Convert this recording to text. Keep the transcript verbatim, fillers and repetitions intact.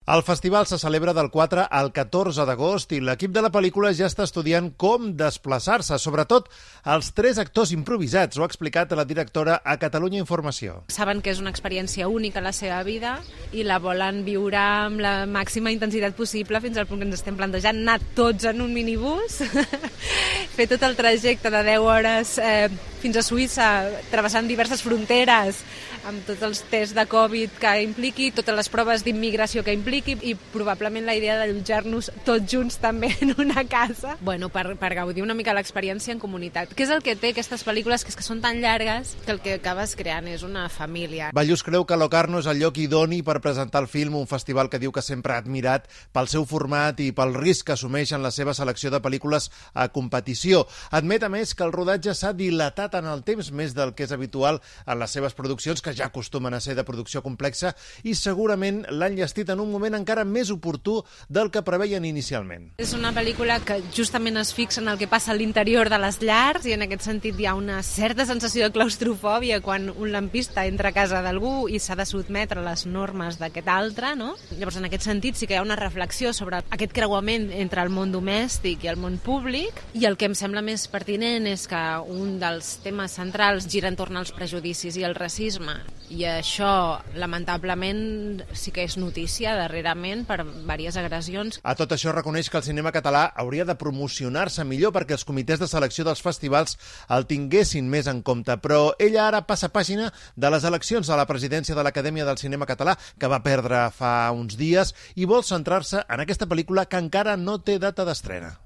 El festival se celebra del quatre al catorze d'agost i l'equip de la pel·lícula ja està estudiant com desplaçar-se, sobretot els tres actors improvisats, ho ha explicat la directora a Catalunya Informació. Saben que és una experiència única a la seva vida i la volen viure amb la màxima intensitat possible fins al punt que ens estem plantejant anar tots en un minibús, fer tot el trajecte de deu hores eh, fins a Suïssa, travessant diverses fronteres, amb tots els tests de Covid que impliqui, totes les proves d'immigració que impliqui i probablement la idea d'allotjar-nos tots junts també en una casa, bueno, per, per gaudir una mica l'experiència en comunitat. Què és el que té aquestes pel·lícules, que és que són tan llargues que el que acabes creant és una família. Ballús creu que Locarno és el lloc idoni per presentar el film, un festival que diu que sempre ha admirat pel seu format i pel risc que assumeix en la seva selecció de pel·lícules a competició. Admet, a més, que el rodatge s'ha dilatat en el temps més del que és habitual en les seves produccions, que ja acostumen a ser de producció complexa, i segurament l'han llestit en un moment encara més oportú del que preveien inicialment. És una pel·lícula que justament es fixa en el que passa a l'interior de les llars i en aquest sentit hi ha una certa sensació de claustrofòbia quan un lampista entra a casa d'algú i s'ha de sotmetre a les normes d'aquest altre, no? Llavors, en aquest sentit, sí que hi ha una reflexió sobre aquest creuament entre el món domèstic i el món públic, i el que em sembla més pertinent és que un dels temes centrals gira entorn als prejudicis i el racisme, i això, lamentablement, sí que és notícia darrerament per diverses agressions. A tot això reconeix que el cinema català hauria de promocionar-se millor perquè els comitès de selecció dels festivals el tinguessin més en compte, però ella ara passa pàgina de les eleccions a la presidència de l'Acadèmia del Cinema Català, que va perdre fa uns dies, i vol centrar-se en aquesta pel·lícula que encara no té data d'estrena.